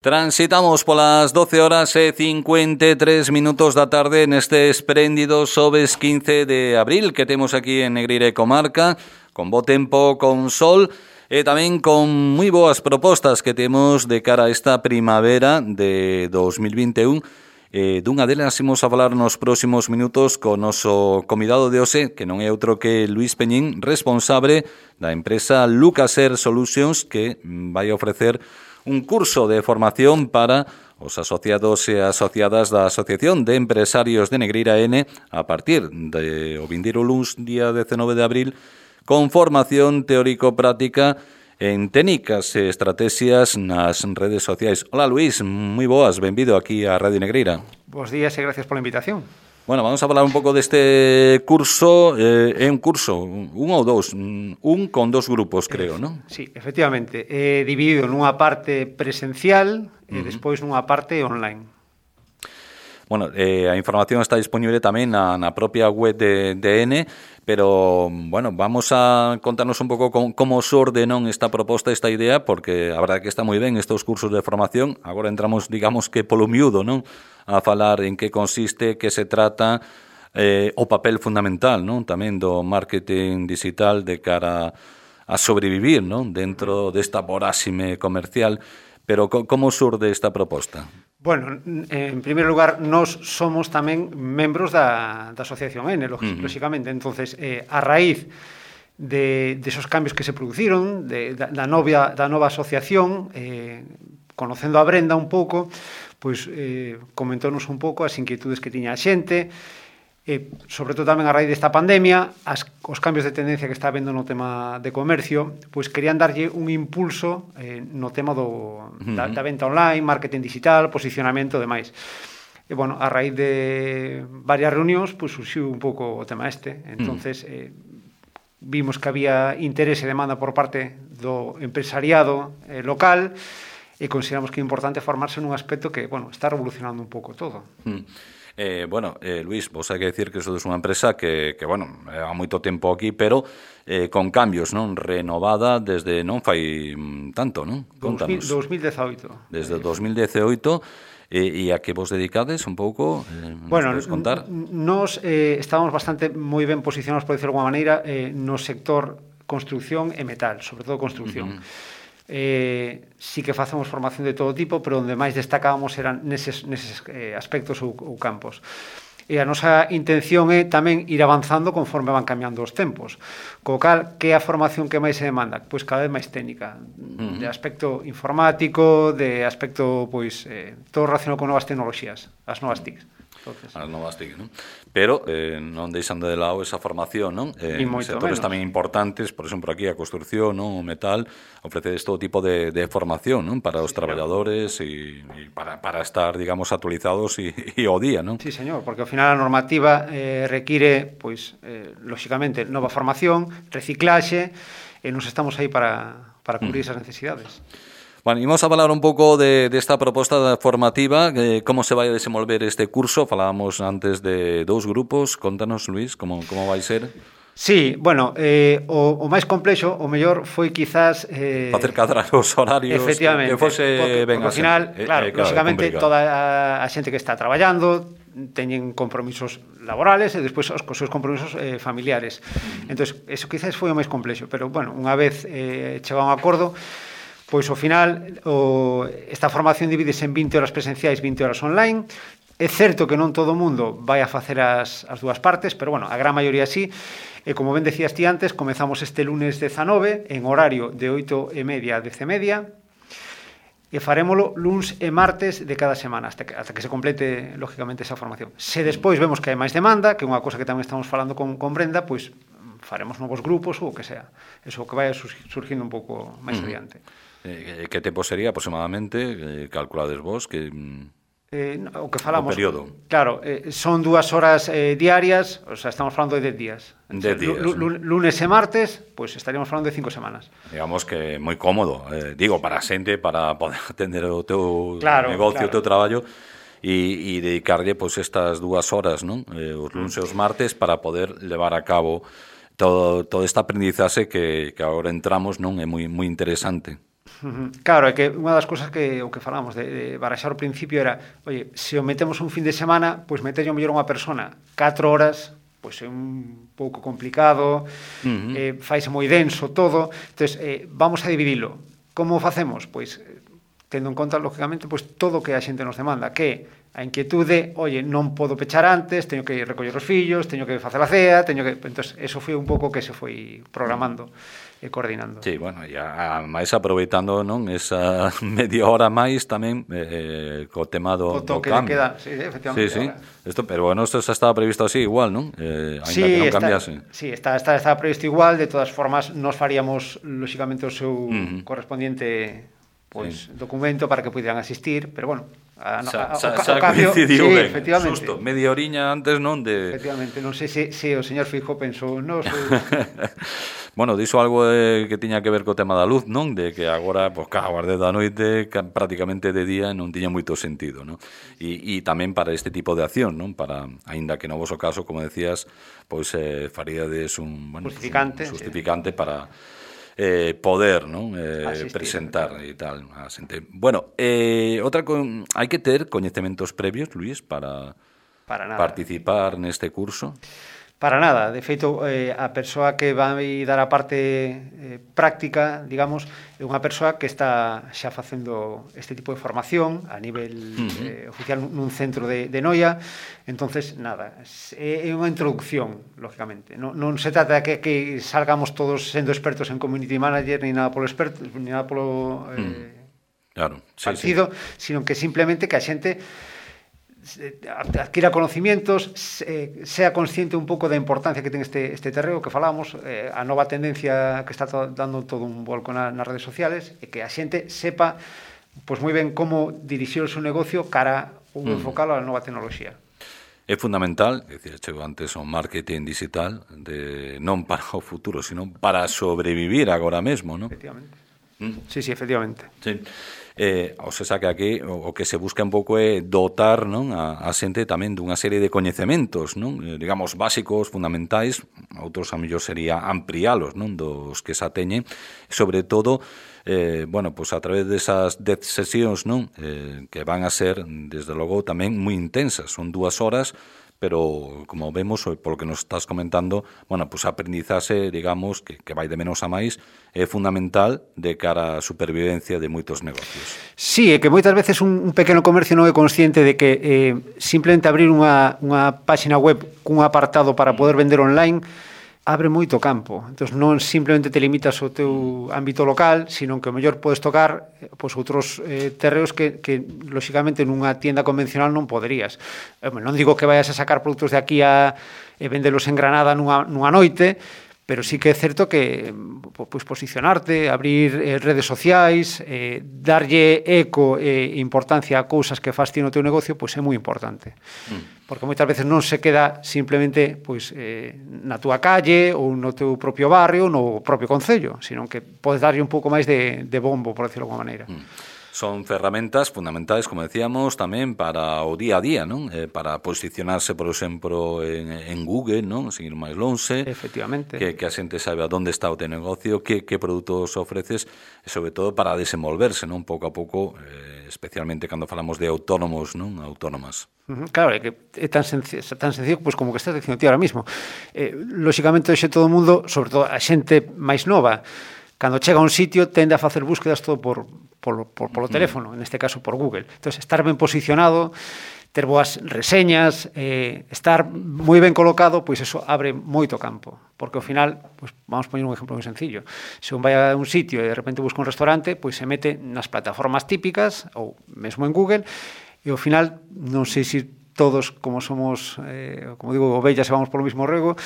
Transitamos polas 12 horas e 53 minutos da tarde neste espléndido xoves 15 de abril que temos aquí en Negreira e Comarca, con bo tempo, con sol e tamén con moi boas propostas que temos de cara a esta primavera de 2021. Dunha delas imos a falar nos próximos minutos co noso convidado de hoxe, que non é outro que Luís Peñín, responsable da empresa Lucaser Solutions, que vai ofrecer un curso de formación para os asociados e asociadas da Asociación de Empresarios de Negreira N a partir do vindeiro luns, día 19 de abril, con formación teórico-práctica en técnicas e estrategias nas redes sociais. Hola Luís, moi boas, benvido aquí a Radio Negreira. Bos días e gracias pola invitación. Bueno, vamos a falar un pouco deste curso, é un curso, un ou dous, con dos grupos, creo, non? Sí, efectivamente, dividido nunha parte presencial e despois nunha parte online. Bueno, a información está disponible tamén na propia web de N, pero, bueno, vamos a contarnos un pouco como xorde non esta proposta, esta idea, porque a verdade que está moi ben estes cursos de formación. Agora entramos, digamos que polo miúdo, non? A falar en que consiste, que se trata, o papel fundamental, non? Tamén do marketing digital de cara a sobrevivir, non? Dentro desta voráxime comercial. Pero como xurde esta proposta? Bueno, en primeiro lugar, nós somos tamén membros da Asociación N, lóxicamente. Entonces, a raíz de esos cambios que se produciron, da nova asociación, conocendo a Brenda un pouco, pois comentónos un pouco as inquietudes que tiña a xente, sobre todo tamén a raíz desta pandemia, os cambios de tendencia que está habendo no tema de comercio, pois querían darlle un impulso no tema da venta online, marketing digital, posicionamento e demais. E, bueno, a raíz de varias reunións, pois surxiu un pouco o tema este. Entonces, vimos que había interés e demanda por parte do empresariado local e consideramos que é importante formarse nun aspecto que, bueno, está revolucionando un pouco todo. Luís, vos hai que decir que sodes unha empresa que bueno, há moito tempo aquí, pero con cambios, non? Renovada desde non fai tanto, non? Contanos. 2018. Desde 2018, e a que vos dedicades un pouco, bueno, nos podes contar? Nos estábamos bastante moi ben posicionados, por decirlo de alguma maneira, no sector construcción e metal, sobre todo construcción. Sí que facemos formación de todo tipo, pero onde máis destacábamos eran neses aspectos ou campos. E a nosa intención é tamén ir avanzando conforme van cambiando os tempos. Co cal, que é a formación que máis se demanda? Pois cada vez máis técnica, de aspecto informático, de aspecto, pois, todo relacionado con novas tecnoloxías, as novas TICs. Entonces, as novas TIC, non? Pero non deixando de lado esa formación, non? Sectores tamén importantes, por exemplo, aquí a construcción, non? O metal, ofrecedes todo tipo de formación, non? Para os traballadores e para estar, digamos, actualizados e ao día, non? Sí, señor, porque ao final a normativa require, pois, lóxicamente, nova formación, reciclaxe, e nos estamos aí para cubrir esas necesidades. Bueno, imos a falar un pouco desta proposta formativa, como se vai a desenvolver este curso. Falábamos antes de dous grupos. Contanos, Luís, como vai ser? Sí, bueno, o máis complexo, o mellor, foi quizás... facer cadrar os horarios, efectivamente, que fose ben ao final, claro, lóxicamente, toda a xente que está traballando teñen compromisos laborales e despois os seus compromisos familiares. Entón, eso quizás foi o máis complexo, pero, bueno, unha vez chegado a un acordo, pois ao final esta formación divídese en 20 horas presenciais, 20 horas online. É certo que non todo o mundo vai a facer as dúas partes, pero, bueno, a gran maioría sí. E como ben decías ti antes, comezamos este lunes 19 en horario de 8:30 a 10:30 e farémolo luns e martes de cada semana hasta que se complete, lógicamente, esa formación. Se despois vemos que hai máis demanda, que é unha cosa que tamén estamos falando con Brenda, pois faremos novos grupos ou o que sea. Eso que vai surgindo un pouco máis adiante. Que tempo sería aproximadamente, calculades vos, que... o que falamos, o período. Claro, son 2 horas diarias, o sea, estamos falando de 10 días. 10 días. Lunes e martes, pues estaríamos falando de 5 semanas. Digamos que moi cómodo, digo, para a xente, para poder atender o teu negocio, o teu traballo, e dedicarlle, pues, estas 2 horas, non? Os lunes e os martes, para poder levar a cabo todo esta aprendizaxe que agora entramos, non? É moi interesante. Claro, é que unha das cousas que o que falamos de baraxar ao principio era, oye, se o metemos un fin de semana, pois meterlle mellor unha persona 4 horas, pois é un pouco complicado, faise moi denso todo, entonces vamos a dividilo. Como o facemos? Pois tendo en conta, lógicamente, pois todo o que a xente nos demanda, que a inquietude, oye, non podo pechar antes, teño que recoller os fillos, teño que facer a cea, teño que... Entonces, eso foi un pouco que se foi programando e coordinando. Sí, bueno, e máis aproveitando, non, esa media hora máis tamén co tema do cambio. Queda, sí, efectivamente. Sí. Esto, pero bueno, isto xa estaba previsto así igual, non? Ainda sí, que non cambiase. Sí, está previsto igual, de todas formas nos faríamos lógicamente o seu correspondiente pois documento para que pudieran asistir, pero bueno, o cambio, sí, efectivamente. Susto, media oriña antes non de... Efectivamente, non sei se o señor Feijóo pensou, non sei... Bueno, dixo algo que tiña que ver co tema da luz, non? De que agora, pois, as 10 da noite, prácticamente de día, non tiña moito sentido, non? E tamén para este tipo de acción, non? Para, aínda que no voso caso, como decías, pois faríades un justificante, sí, para poder, non? Presentar e tal a xente. Bueno, hai que ter coñecementos previos, Luís, para participar neste curso? Para nada, de feito, a persoa que vai dar a parte práctica, digamos, é unha persoa que está xa facendo este tipo de formación a nivel oficial nun centro de Noia, entonces, nada, é unha introducción, lógicamente. Non se trata de que salgamos todos sendo expertos en community manager, ni nada polo experto, ni nada polo claro, partido, sino que simplemente que a xente adquira conocimientos, sea consciente un pouco da importancia que ten este terreo que falamos, a nova tendencia que está dando todo un volco nas redes sociales, e que a xente sepa pois moi ben como dirixir o seu negocio cara ou enfocalo á nova tecnoloxía. É fundamental, decía, chego antes, o marketing digital non para o futuro, sino para sobrevivir agora mesmo, non? Efectivamente. Sí, efectivamente. Sí. O sea que aquí o que se busca un pouco é dotar, non, a xente tamén dunha serie de coñecementos, non, digamos básicos, fundamentais, outros a mellor sería amplialos, non, dos que xa teñen, sobre todo bueno, pues a través desas 10 sesións, non, que van a ser desde logo tamén moi intensas, son 2 horas, pero como vemos, polo que nos estás comentando, bueno, pues a aprendizaxe, digamos, que vai de menos a máis, é fundamental de cara á supervivencia de moitos negocios. Sí, é que moitas veces un pequeno comercio non é consciente de que simplemente abrir unha páxina web cun apartado para poder vender online abre moito campo. Entón, non simplemente te limitas ao teu ámbito local, sino que o mellor podes tocar pois, outros terreos que lóxicamente nunha tienda convencional non poderías. Non digo que vayas a sacar produtos de aquí a vendelos en Granada nunha noite, pero sí que é certo que pois, posicionarte, abrir redes sociais, darlle eco e importancia a cousas que fas ti no teu negocio, pois é moi importante. Porque moitas veces non se queda simplemente pois, na túa calle ou no teu propio barrio, no propio concello, sino que podes darlle un pouco máis de bombo, por decirlo de alguma maneira. Son ferramentas fundamentais, como decíamos, tamén para o día a día, non? Para posicionarse, por exemplo, en Google, non? Seguir máis lonxe. Efectivamente. Que a xente saiba onde está o teu negocio, que produtos ofreces, e sobre todo para desenvolverse, non? Pouco a pouco, especialmente cando falamos de autónomos, non? Autónomas. Claro, é que é tan sencillo pois, como que estás dicindo ti ahora mismo. Lóxicamente, hoxe todo o mundo, sobre todo a xente máis nova, cando chega a un sitio tende a facer búsquedas todo polo teléfono, neste caso por Google. Entón, estar ben posicionado, ter boas reseñas, estar moi ben colocado, pois eso abre moito campo. Porque ao final, pois, vamos poñer un exemplo moi sencillo. Se un vai a un sitio e de repente busca un restaurante, pois se mete nas plataformas típicas, ou mesmo en Google, e ao final, non sei se todos, como somos, como digo, ovellas e vamos polo mismo rego,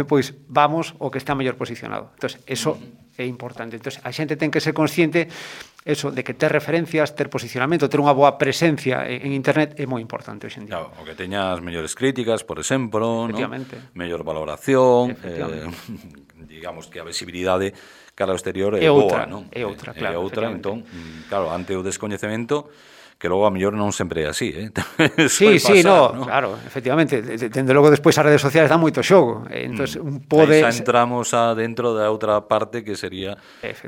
pois vamos o que está mellor posicionado. Entón, eso é importante. Entón, a xente ten que ser consciente eso de que ter referencias, ter posicionamento, ter unha boa presencia en internet é moi importante hoxe en día. Claro, o que teñas mellores críticas, por exemplo, efectivamente, ¿no? Mellor valoración, digamos que a visibilidade cara ao exterior é boa, non? É outra, claro. É outra, entón, claro, ante o descoñecemento, que logo a mellor non sempre é así, Sí, no, claro, efectivamente, dende logo despois as redes sociais dan moito xogo, entonces un pode... Aí xa entramos dentro da outra parte que sería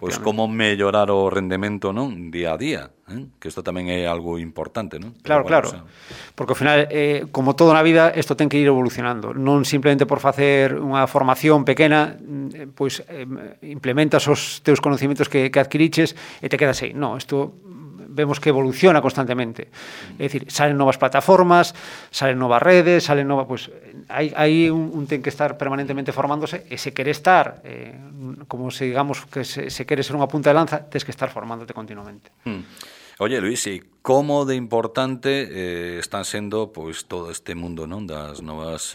pois como mellorar o rendemento, non, día a día, que isto tamén é algo importante, non? Claro, claro, porque ao final, como todo na vida, isto ten que ir evolucionando, non simplemente por facer unha formación pequena, pois implementas os teus conocimientos que adquiriches e te quedas aí, non, isto vemos que evoluciona constantemente. É dicir, salen novas plataformas, salen novas redes, salen novas... Pues, hai un ten que estar permanentemente formándose e se quere estar, como se digamos que se quere ser unha punta de lanza, tens que estar formándote continuamente. Oye, Luis, e como de importante están sendo pois todo este mundo, non, das novas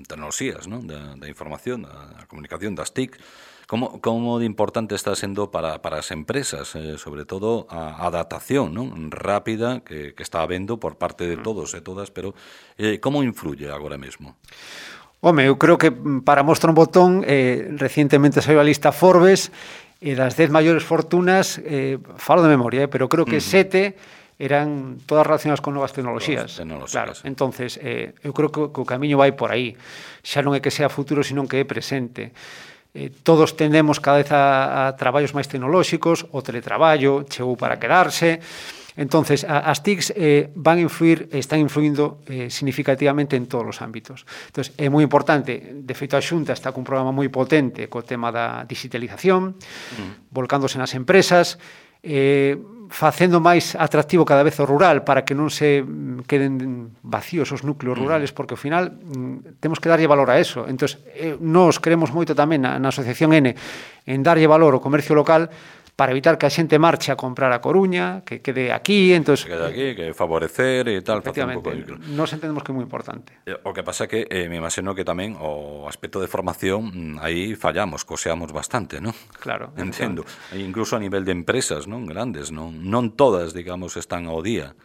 tecnoloxías, non, da información, da comunicación, das TIC, como de importante está sendo para as empresas, sobre todo a adaptación, non, rápida que está habendo por parte de todos e todas, pero como influye agora mesmo? Home, eu creo que para mostrar un botón, recientemente saiu a lista Forbes e das 10 maiores fortunas, falo de memoria, pero creo que 7 eran todas relacionadas con novas tecnoloxías. Claro, entonces, eu creo que o camiño vai por aí. Xa non é que sea futuro, senón que é presente. Todos tendemos cada vez a traballos máis tecnolóxicos, o teletraballo chegou para quedarse. Entonces, as TICs están influindo significativamente en todos os ámbitos. Entonces, é moi importante, de feito a Xunta está cun programa moi potente co tema da digitalización, volcándose nas empresas, facendo máis atractivo cada vez o rural para que non se queden vacíos os núcleos rurales, porque ao final temos que darlle valor a eso. Entón, nós queremos moito tamén na Asociación N en darlle valor ao comercio local para evitar que a xente marche a comprar a Coruña, que quede aquí, entonces... Que quede aquí, que favorecer e tal, facer un pouco... Nos entendemos que é moi importante. O que pasa que me imagino que tamén o aspecto de formación aí fallamos, coseamos bastante, non? Claro. Entendo. Incluso a nivel de empresas, non, grandes, non todas, digamos, están ao día.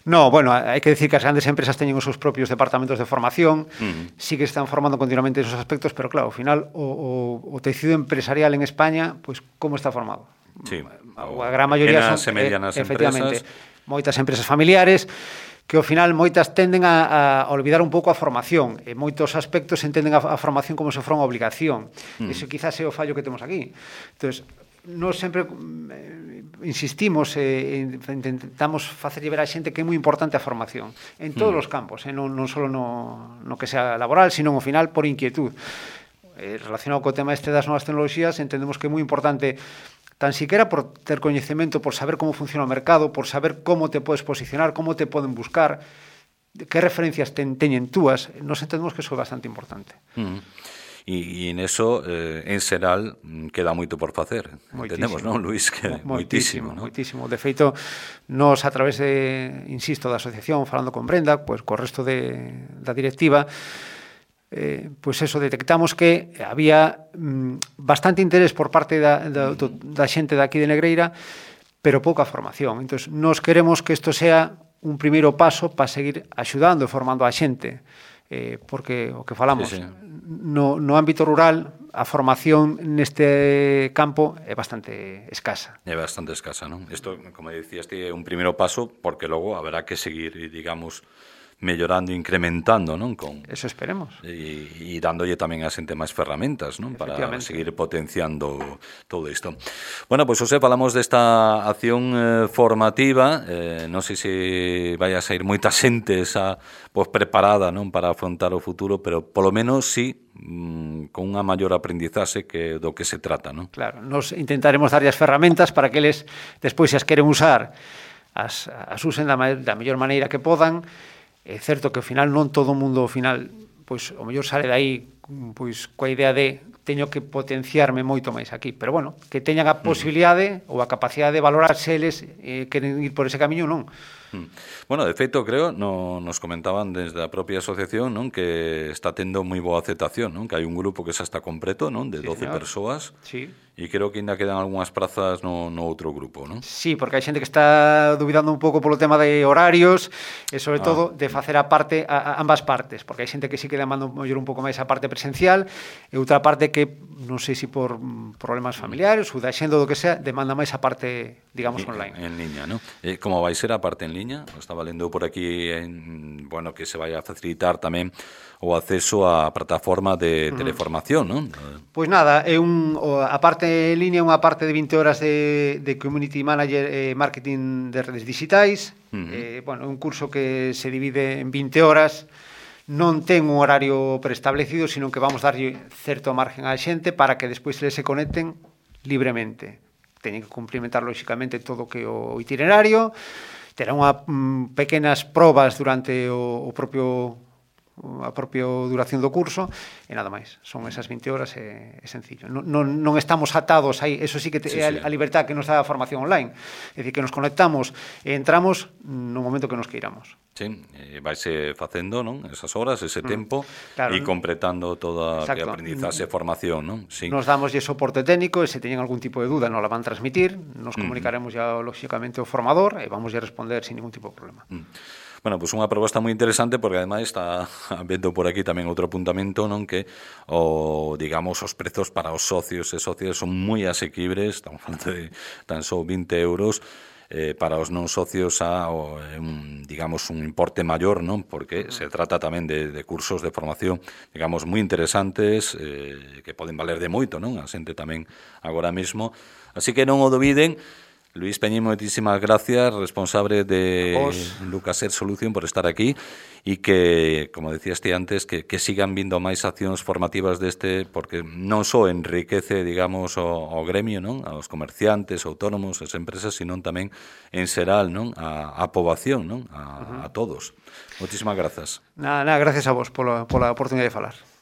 No, bueno, hai que decir que as grandes empresas teñen os seus propios departamentos de formación, sí que están formando continuamente esos aspectos, pero claro, ao final o tecido empresarial en España, pois como está formado? Sí, a gran maioría son efectivamente moitas empresas familiares que ao final moitas tenden a olvidar un pouco a formación e moitos aspectos entenden a formación como se fora unha obligación. Eso quizás é o fallo que temos aquí. Entonces, nós sempre insistimos intentamos facerlle ver a xente que é moi importante a formación en todos os campos, non só no que sea laboral, sino ao final por inquietud. Relacionado co tema das novas tecnoloxías, entendemos que é moi importante tan siquiera por ter coñecemento, por saber como funciona o mercado, por saber como te podes posicionar, como te poden buscar, que referencias teñen túas, nos entendemos que iso é bastante importante. E en eso, en xeral, queda moito por facer. Entendemos, non, Luis? Que moitísimo, non? Moitísimo. De feito, nos a través insisto, da asociación, falando con Brenda, pues, co resto da directiva, pois eso, detectamos que había bastante interés por parte da xente daqui de Negreira, pero pouca formación. Entón, nos queremos que isto sea un primeiro paso para seguir axudando e formando a xente, porque o que falamos, no ámbito rural, a formación neste campo é bastante escasa. É bastante escasa, non? Isto, como dicías, é un primeiro paso, porque logo haberá que seguir, digamos, mellorando, incrementando, non? Eso esperemos. E dándolle tamén a xente máis ferramentas, non? Para seguir potenciando todo isto. Bueno, pois, José, falamos desta acción formativa, non sei se vai a sair moita xente preparada, non, para afrontar o futuro, pero polo menos sí con unha maior aprendizaxe que do que se trata, non? Claro, nos intentaremos darlle as ferramentas para que eles, despois, se as queren usar, as usen da mellor maneira que podan. É certo que ao final non todo o mundo ao final, pois o mellor sale dai pois coa idea de teño que potenciarme moito máis aquí, pero bueno, que teñan a posibilidade ou a capacidade de valorarse eles queren ir por ese camiño, non. Bueno, de feito, creo, nos comentaban desde a propia asociación, non, que está tendo moi boa aceptación, non, que hai un grupo que xa está completo, non, de 12 persoas, sí, E creo que ainda quedan algunhas prazas no outro grupo, non? Sí, porque hai xente que está dubidando un pouco polo tema de horarios e sobre todo de facer a parte ambas partes, porque hai xente que sí que demanda un pouco máis a parte presencial e outra parte que non sei se por problemas familiares ou da xenda ou do que sea, demanda máis a parte, digamos, online. En liña, non? Como vai ser a parte en liña? Estaba lendo por aquí bueno, que se vai a facilitar tamén o acceso á plataforma de teleformación, non? Pois nada, a parte en línea é unha parte de 20 horas de Community Manager e Marketing de redes digitais. Bueno, é un curso que se divide en 20 horas, non ten un horario preestablecido, sino que vamos darlle certo margen á xente para que despois se conecten libremente. Teñen que cumplimentar, lóxicamente, todo o que o itinerario, terán pequenas probas durante a propia duración do curso e nada máis, son esas 20 horas e sencillo, non estamos atados aí, eso sí que é a libertad que nos dá a formación online, é dicir, que nos conectamos e entramos no momento que nos queiramos. Sí, vaise facendo, non? Esas horas, ese tempo, claro, e completando toda a aprendizaxe e formación, non? Sí. Nos damos soporte técnico e se teñen algún tipo de duda nos la van transmitir, nos comunicaremos ya lóxicamente o formador e vamos a responder sin ningún tipo de problema. Bueno, pois unha proposta moi interesante porque ademais está vendo por aquí tamén outro apuntamento, non, que digamos os prezos para os socios e socias son moi asequibles, estamos falando de tan só 20 euros, para os non socios digamos un importe maior, non? Porque se trata tamén de cursos de formación, digamos, moi interesantes, que poden valer de moito, non? A xente tamén agora mesmo. Así que non o dubiden. Luis Peñín, moitísimas gracias, responsable de Lucaser Solución, por estar aquí e que, como decías ti antes, que sigan vindo máis accións formativas porque non só enriquece, digamos, o gremio, non? Aos comerciantes, autónomos, as empresas, sino tamén en xeral, non? A poboación, non? A todos. Moitísimas grazas. Nada, gracias a vos pola oportunidade de falar.